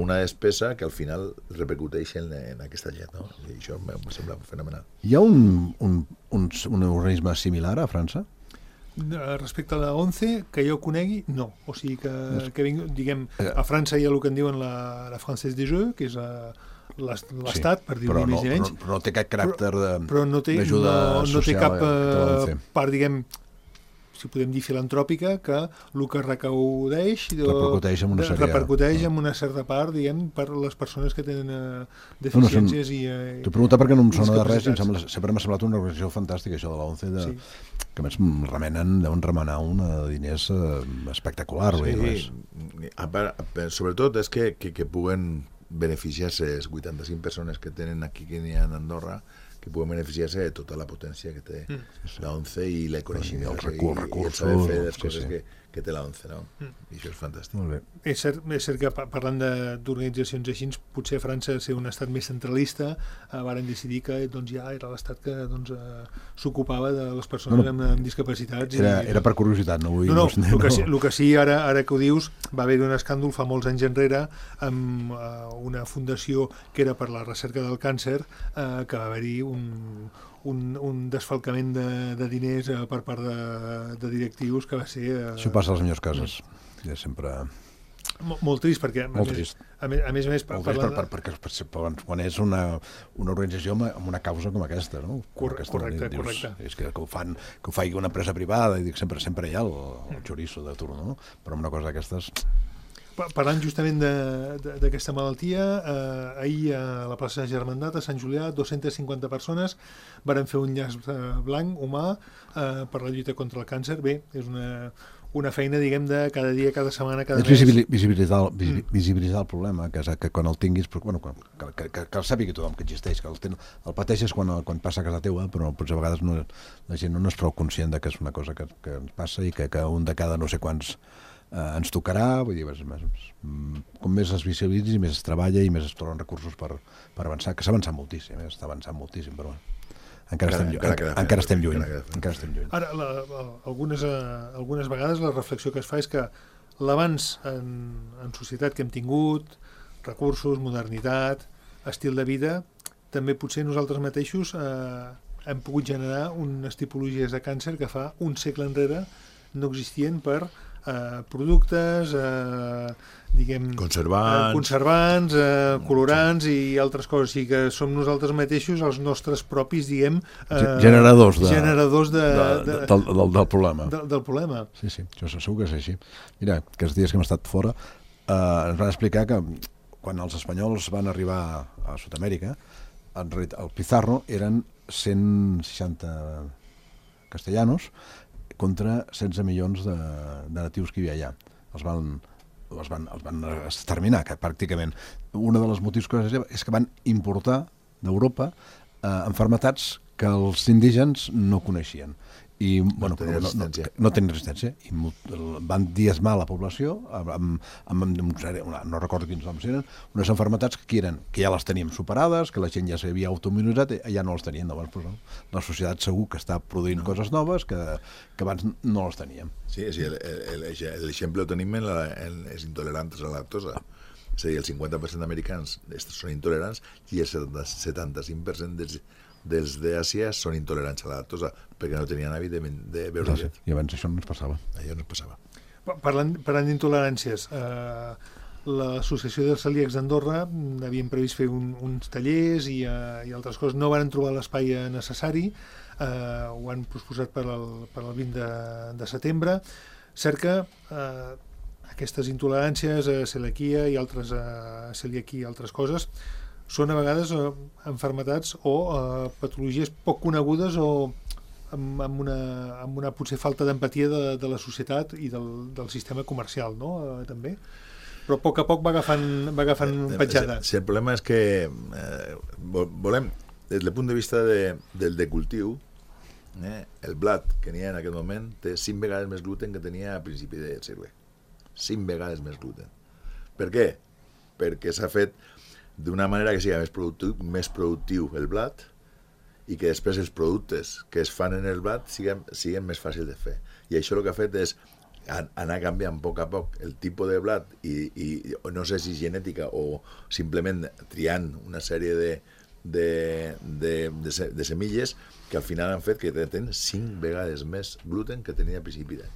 una despesa que al final repercuteix en aquesta gent, no? I això em sembla fenomenal. Hi ha un organisme similar a França? Respecte a la ONCE, que jo conegui, no. O sigui que diguem, a França hi ha el que en diuen la Française des Jeux, que és l'Estat, per dir-ho més i menys. Però no té cap caràcter d'ajuda social. No té cap part, diguem, si podem dir filantròpica, que el que recaudeix repercuteix en una certa part, diguem, per les persones que tenen deficiències T'ho pregunto perquè no em sona de res, sempre m'ha semblat una organització fantàstica, això de la ONCE, que a més deuen remenar diners espectacular. Sobretot és que puguen beneficiar-se les 85 persones que tenen aquí que n'hi ha a Andorra, que puguen beneficiar-se de tota la potència que té la ONCE i el coneixement els i el saber fer les coses que té la ONCE, no? I això és fantàstic. Molt bé. És cert que parlant d'organitzacions així, potser França, ser un estat més centralista, varen decidir que ja era l'estat que s'ocupava de les persones amb discapacitats. Era per curiositat, no vull... El que sí, ara que ho dius, va haver un escàndol fa molts anys enrere amb una fundació que era per la recerca del càncer, que va haver-hi un desfalcament de diners per part de directius que va ser... Això passa a les millors cases. Ja sempre... Molt trist, perquè a més perquè quan és una organització amb una causa com aquesta, no? Correcte. És que ho faci una empresa privada, i dic, sempre hi ha el xoriço de turno, no? Però amb una cosa d'aquestes... Parlant justament d'aquesta malaltia, ahir a la plaça de Germandat, a Sant Julià, 250 persones varen fer un llaç blanc humà per la lluita contra el càncer. Bé, és una feina, diguem, de cada dia, cada setmana, cada mes. Visibilitzar el problema, que quan el tinguis, que el sàpiga tothom que existeix, que el pateixes quan passa a casa teua, però potser a vegades la gent no és prou conscient que és una cosa que ens passa i que un de cada no sé quants ens tocarà. Vull dir, com més es visibilitzi, més es treballa i més es troben recursos per avançar, que s'ha avançat moltíssim, està avançant moltíssim, però encara estem lluny. Ara, algunes vegades la reflexió que es fa és que l'avanç en societat que hem tingut, recursos, modernitat, estil de vida, també potser nosaltres mateixos hem pogut generar unes tipologies de càncer que fa un segle enrere no existien per productes, diguem, conservants, colorants i altres coses, i que som nosaltres mateixos els nostres propis, diguem, generadors del problema. Del problema. Sí, això segur que és així. Mira, aquests dies que hem estat fora ens van explicar que quan els espanyols van arribar a Sud-amèrica, al Pizarro eren 160 castellanos contra 16 milions de natius que hi havia allà. Els van exterminar, que pràcticament. Un dels motius és que van importar d'Europa malalties que els indígens no coneixien. I no tenien resistència. I van diezmar la població no recordo quins noms eren, unes malalties que ja les teníem superades, que la gent ja s'havia autoimmunitzat, ja no les tenien. Llavors, la societat segur que està produint coses noves que abans no les teníem. Sí, l'exemple ho tenim en els intolerants a la lactosa. És a dir, el 50% d'americans són intolerants i el 75% dels d'Àsia són intolerants a la lactosa perquè no tenien hàbit de beure llet. I abans això no ens passava. Parlant d'intoleràncies, l'Associació dels Celíacs d'Andorra havien previst fer uns tallers i altres coses. No van trobar l'espai necessari, ho han posposat per al 20 de setembre. Cert que aquestes intoleràncies, celiaquia i altres celiaquia i altres coses, són a vegades malalties o patologies poc conegudes o amb una potser falta d'empatia de la societat i del sistema comercial, no? També. Però a poc va agafant petjada. El problema és que volem, des del punt de vista del de cultiu, el blat que n'hi ha en aquest moment té 5 vegades més gluten que tenia a principi del segle. 5 vegades més gluten. Per què? Perquè s'ha fet d'una manera que sigui més productiu el blat i que després els productes que es fan en el blat siguin més fàcils de fer. I això el que ha fet és anar canviant a poc el tipus de blat i no sé si genètica o simplement triant una sèrie de semilles que al final han fet que tenen 5 vegades més gluten que tenia a principi d'any.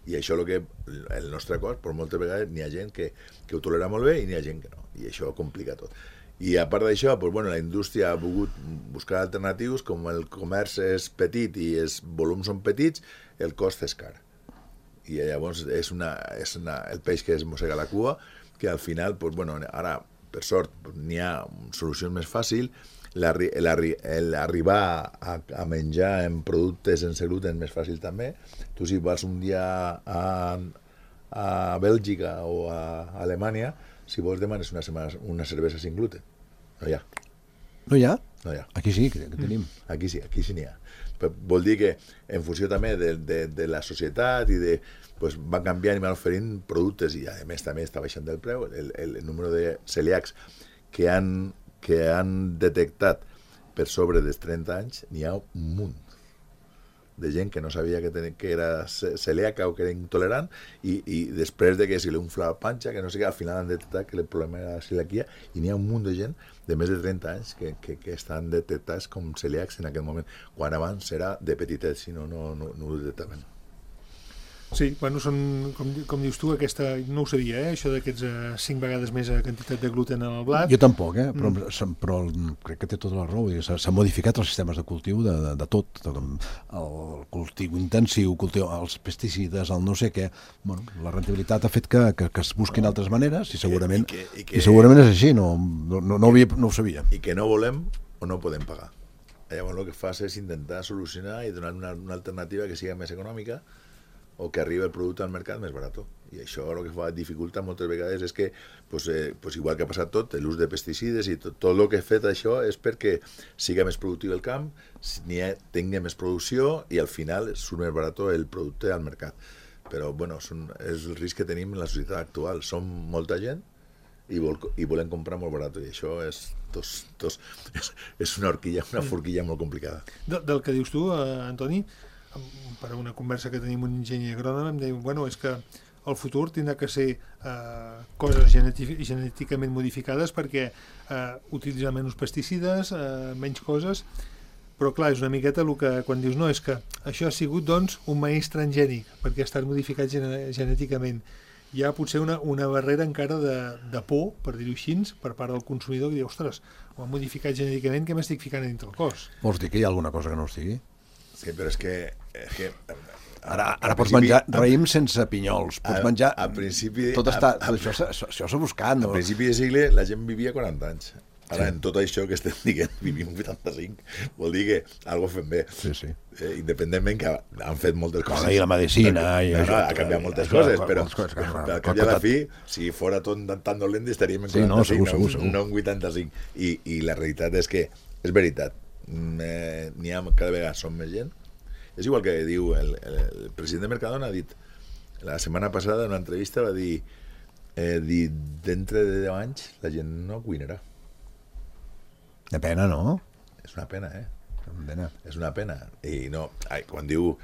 I això el nostre cos, per moltes vegades n'hi ha gent que ho tolera molt bé i n'hi ha gent que no, i això ho complica tot. I a part d'això, doncs, bueno, la indústria ha volgut buscar alternatius, com el comerç és petit i els volums són petits, el cost és car. I llavors és el peix que es mossega la cua, que al final, doncs, bueno, ara, per sort, n'hi ha solucions més fàcils, l'arribar a menjar en productes sense gluten és més fàcil també. Tu si vas un dia a Bèlgica o a Alemanya, si vols demanes una cervesa sin gluten. No hi ha. No hi ha? No hi ha. Aquí sí, que tenim. Aquí sí n'hi ha. Però vol dir que en funció també de la societat i pues, van canviant i van oferint productes i a més també està baixant el preu. El número de celíacs que han detectat per sobre dels 30 anys n'hi ha un munt de gent que no sabia que era celíaca o que era intolerant i després de que si li unfla la panxa, que no sé què, al final han detectat que el problema era la celiaquia i n'hi ha un munt de gent de més de 30 anys que estan detectats com celíacs en aquest moment, quan abans era de petitet, si no ho detectaven. Sí, bueno, són, com dius tu, aquesta, no ho sabia, això d'aquests 5 vegades més quantitat de gluten en el blat. Jo tampoc, però crec que té tota la raó. S'han modificat els sistemes de cultiu de tot. El cultiu intensiu, els pesticides, el no sé què. Bueno, la rentabilitat ha fet que es busquin altres maneres i segurament és així, no ho sabia. I que no volem o no podem pagar. Llavors el que fas és intentar solucionar i donar una alternativa que sigui més econòmica o que arribi el producte al mercat més barat. I això el que fa dificultat moltes vegades és que, pues igual que ha passat tot, l'ús de pesticides i tot el que ha fet això és perquè siga més productiu el camp, tingui més producció i al final surt més barat el producte al mercat. Però, bueno, és el risc que tenim en la societat actual. Som molta gent i volem comprar molt barat i això és una forquilla molt complicada. Del que dius tu, Antoni, per una conversa que tenim un enginyer agrònom em deia, bueno, és que el futur tindrà que ser coses genèticament modificades perquè utilitzar menys pesticides, menys coses, però clar, és una miqueta el que quan dius no, és que això ha sigut doncs un maïs transgènic perquè ha estat modificat genèticament. Hi ha potser una barrera encara de por, per dir-ho així, per part del consumidor que diu, ostres, ho han modificat genèticament, què m'estic ficant a dintre el cos? Vols dir que hi ha alguna cosa que no estigui? Sí, però és que ara pots menjar raïm sense pinyols, pots menjar... A principi... Això s'ha buscat, no? A principi de segle la gent vivia 40 anys. Ara, en tot això que estem dient, vivim 85. Vol dir que alguna fem bé. Sí. Independentment que han fet moltes coses. I la medicina... Ha canviat moltes coses, però al cap i a la fi, si fora tot tan dolent, estaríem en 45, no en 85. I la realitat és que, és veritat, n'hi ha cada vegada som més gent. És igual que diu el president de Mercadona ha dit la setmana passada en una entrevista va dir d'entre de 10 anys la gent no cuinarà. De pena, no? És una pena, és una pena. I no, quan diu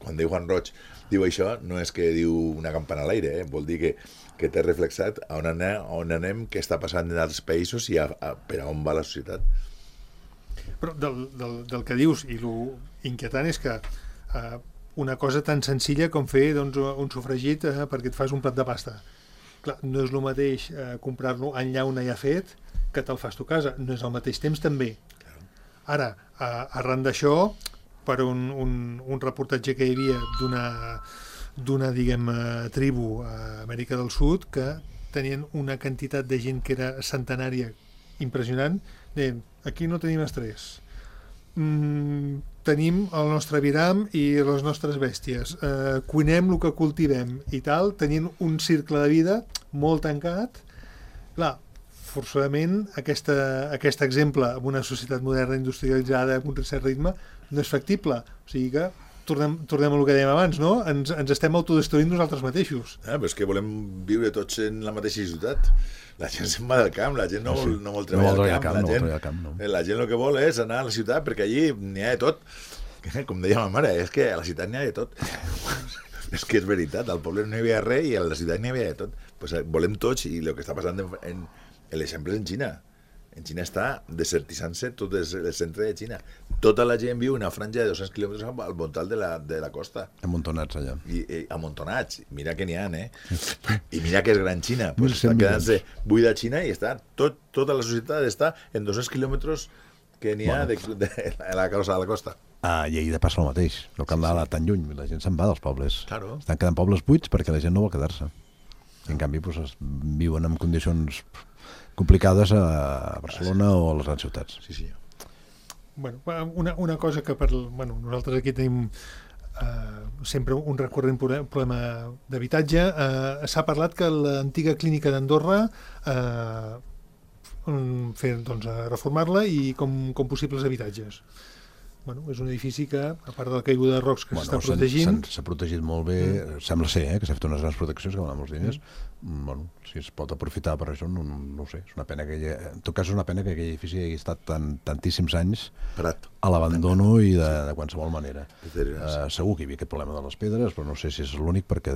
Juan Roig diu això, no és que diu una campana a l'aire, vol dir que té reflexat on anem, què està passant en altres països i per a on va la societat. Però del que dius, i lo inquietant és que una cosa tan senzilla com fer doncs, un sofregit perquè et fas un plat de pasta. Clar, no és el mateix comprar-lo en llauna ja fet que te'l fas tu a casa. No és al mateix temps també. Ara, arran d'això, per un reportatge que hi havia d'una diguem, tribu a Amèrica del Sud que tenien una quantitat de gent que era centenària impressionant, deien, aquí no tenim estrès, tenim el nostre aviram i les nostres bèsties, cuinem el que cultivem i tal, tenint un cicle de vida molt tancat. Clar, forçosament aquest exemple en una societat moderna industrialitzada amb un cert ritme no és factible, o sigui que tornem a el que dèiem abans, no? Ens estem autodestruint nosaltres mateixos. Però és que volem viure tots en la mateixa ciutat. La gent se'n va del camp, la gent no vol treballar al camp. La gent el que vol és anar a la ciutat perquè allí n'hi ha de tot. Com deia ma mare, és que a la ciutat n'hi ha de tot. És que és veritat, al poble no hi havia res i a la ciutat n'hi havia de tot. Pues volem tots, i el que està passant en l'exemple és en Xina. En Xina està desertitzant-se tot el centre de Xina. Tota la gent viu en una franja de 200 quilòmetres al voltant de la costa. Amuntonats allà. I amuntonats. Mira que n'hi ha, I mira que és gran Xina. Pues 1.100 està quedant-se buida Xina i està tota la societat està en 200 quilòmetres que n'hi ha de la costa. I ahir de passa el mateix. No cal anar tan lluny. La gent se'n va dels pobles. Claro. Estan quedant pobles buits perquè la gent no vol quedar-se. En canvi, viuen en condicions complicades a Barcelona o a les grans ciutats. Sí, senyor. Bueno, una cosa que nosaltres aquí tenim sempre un recurrent problema d'habitatge. S'ha parlat que l'antiga clínica d'Andorra reformar-la i com possibles habitatges. Bueno, és un edifici que, a part de la caiguda de rocs que s'està protegint... S'ha protegit molt bé, sembla ser, que s'ha fet unes grans proteccions que van amb els diners. Bueno, si es pot aprofitar per això, no ho sé. És una pena en tot cas és una pena que aquell edifici hagi estat tantíssims anys parat a l'abandono i de qualsevol manera. Segur que hi havia aquest problema de les pedres, però no sé si és l'únic perquè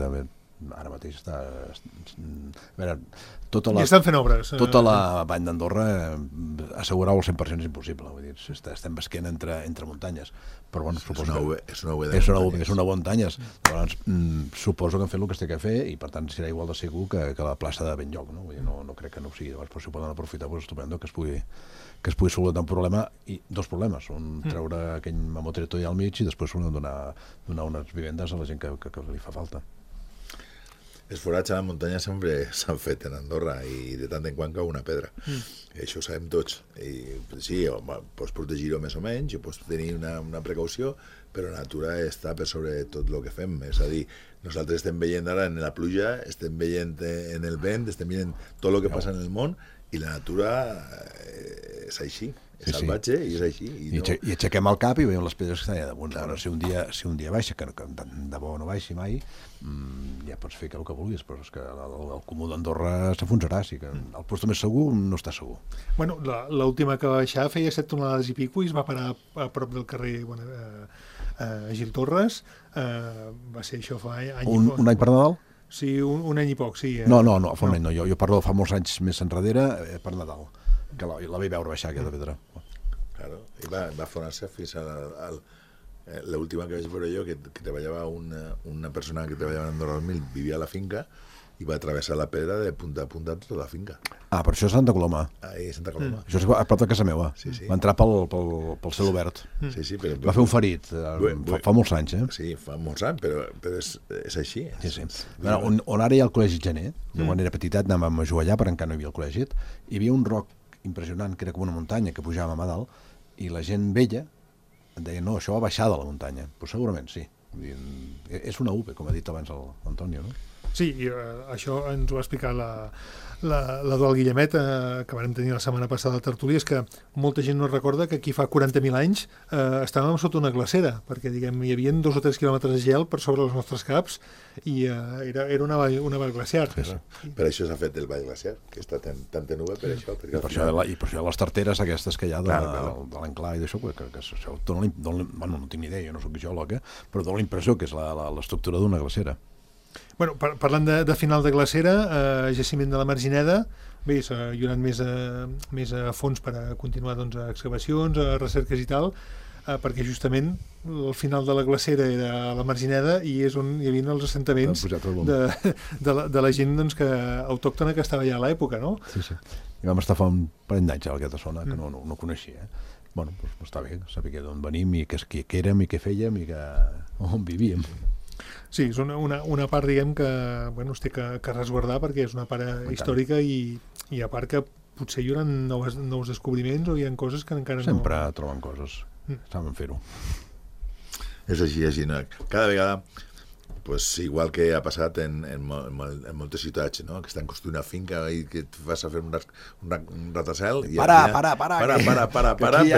ara mateix està... A veure, estan fent obres. Tota la vall d'Andorra assegurar-ho al 100% és impossible. Vull dir, estem basquent entre muntanyes. Però bueno, suposo és una muntanyes. Llavors, suposo que han fet el que es té que fer i per tant serà igual de segur que la plaça de Benlloc. No? Vull dir, no crec que no ho sigui. Llavors, però si ho poden aprofitar, doncs estupendo que es pugui solucionar un problema i dos problemes. Un, treure aquell mamotreto allà al mig i després donar unes vivendes a la gent que li fa falta. Els forats a la muntanya sempre s'han fet en Andorra i de tant en quant cau una pedra. Això ho sabem tots. I, sí, pots protegir-ho més o menys, pots tenir una precaució, però la natura està per sobre tot el que fem. És a dir, nosaltres estem veient ara en la pluja, estem veient en el vent, estem veient tot el que passa en el món i la natura és així. És salvatge i és així. I aixequem el cap i veiem les pedres que estan allà damunt. Ara, si un dia baixa, que de bo no baixi mai, ja pots fer el que vulguis, però és que el comú d'Andorra s'afonsarà, sí que el lloc més segur no està segur. Bueno, l'última que va baixar feia 7 tonelades i pico i es va parar a prop del carrer Gil Torres. Va ser això fa any i poc. Un any per Nadal? Sí, un any i poc, sí. No, fa un any no. Jo parlo de fa molts anys més enrere per Nadal, que la vaig veure baixar aquesta pedra. Claro, i va fonar-se fins a l'última que vaig veure jo, que treballava una persona que treballava en Andorra 2000, vivia a la finca i va travessar la pedra de punta a punta tota la finca. Per això és Santa Coloma. Santa Coloma. Això és a prop de casa meva. Sí. Va entrar pel cel obert. Sí, però... Va fer un ferit fa molts anys, Sí, fa molts anys, però és així. Sí. On ara hi ha el Col·legi Gener, quan era petitet anàvem a jugar allà, però encara no hi havia el col·legi, hi havia un roc impressionant, que era com una muntanya, que pujàvem a dalt, i la gent vella deia, no, això va baixar de la muntanya. Pues segurament sí. És una UP, com ha dit abans l'Antonio, no? Sí, i això ens ho va explicar l'Eduard Guillemet, que vam tenir la setmana passada a Tertúlia, és que molta gent no recorda que aquí fa 40.000 anys estàvem sota una glacera, perquè diguem hi havia 2 o 3 quilòmetres de gel per sobre els nostres caps i era una vall glaciar. Sí. Per això s'ha fet el vall glaciar, que està tan tenuda per això. I per això les tarteres aquestes que hi ha de l'Anclar i d'això, que això no tinc ni idea, jo no soc geòleg, però dona la impressió que és l'estructura d'una glacera. Bueno, parlant de final de glacera, jaciment de la Margineda, bé, s'ha donat més a fons per a continuar excavacions, recerques i tal, perquè justament el final de la glacera era a la Margineda i és on hi havia els assentaments de la gent autòctona que estava allà a l'època, no? Sí. I vam estar fa un parell d'anys a aquesta zona, que no coneixia. Bueno, doncs està bé saber d'on venim i què érem i què fèiem i on vivíem. Sí, és una part, diguem, que es té que resguardar perquè és una part històrica i a part que potser hi haurà nous descobriments o hi ha coses que encara Sempre troben coses. Saben fer-ho. És així. Cada vegada, igual que ha passat en moltes ciutats, no? Que estan construint una finca i que et vas a fer un ratacel i Para, perquè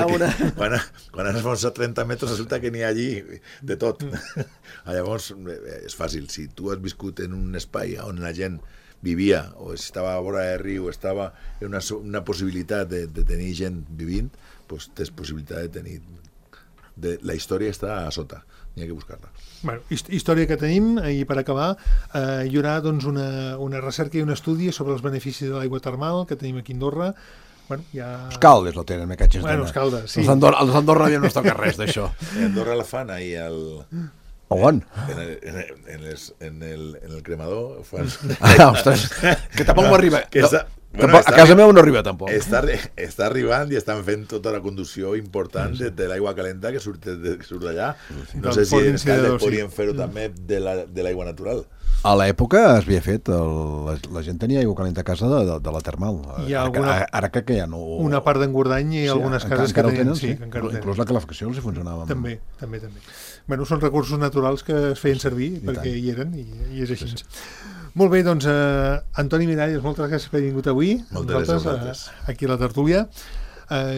quan has avançat 30 metres resulta que n'hi ha allí de tot. Llavors és fàcil, si tu has viscut en un espai on la gent vivia o estava a vora del riu, estava en una possibilitat de tenir gent vivint, doncs tens possibilitat de tenir... La història està a sota, n'hi ha que buscar-la. Bueno, història que tenim, i per acabar hi haurà una recerca i un estudi sobre els beneficis de l'aigua termal que tenim aquí a Andorra. bueno, ja... Els caldes lo tenen, me catxes Bueno, els caldes, sí. Els d'Andorra no es toca res d'això. A Andorra la fan ahí On? en el cremador. Fan... Ostres, que tampoc m'arriba. Bueno, a casa meva no arriba tampoc. Està arribant i estan fent tota la conducció important de l'aigua calenta que surt d'allà. No sé si els caldes podrien fer-ho també de l'aigua natural. A l'època es havia fet, la gent tenia aigua calenta a casa de la termal. Ara crec que ja no... Una part d'Engordany i algunes cases que tenen. Sí, que encara inclús la calefacció els funcionava. També. Bueno, són recursos naturals que es feien servir perquè hi eren i és així. Molt bé, doncs, Antoni Miralles, moltes gràcies per haver vingut avui. Moltes gràcies. Aquí a la tertúlia.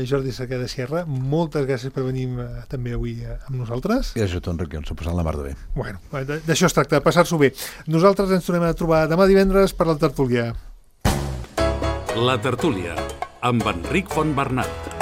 Jordi Cerqueda Sierra, moltes gràcies per venir també avui amb nosaltres. Gràcies a tu, Enric, ens ho passant la mar de bé. Bueno, d'això es tracta, de passar-s'ho bé. Nosaltres ens tornem a trobar demà divendres per la tertúlia. La tertúlia, amb Enric Fontbernat.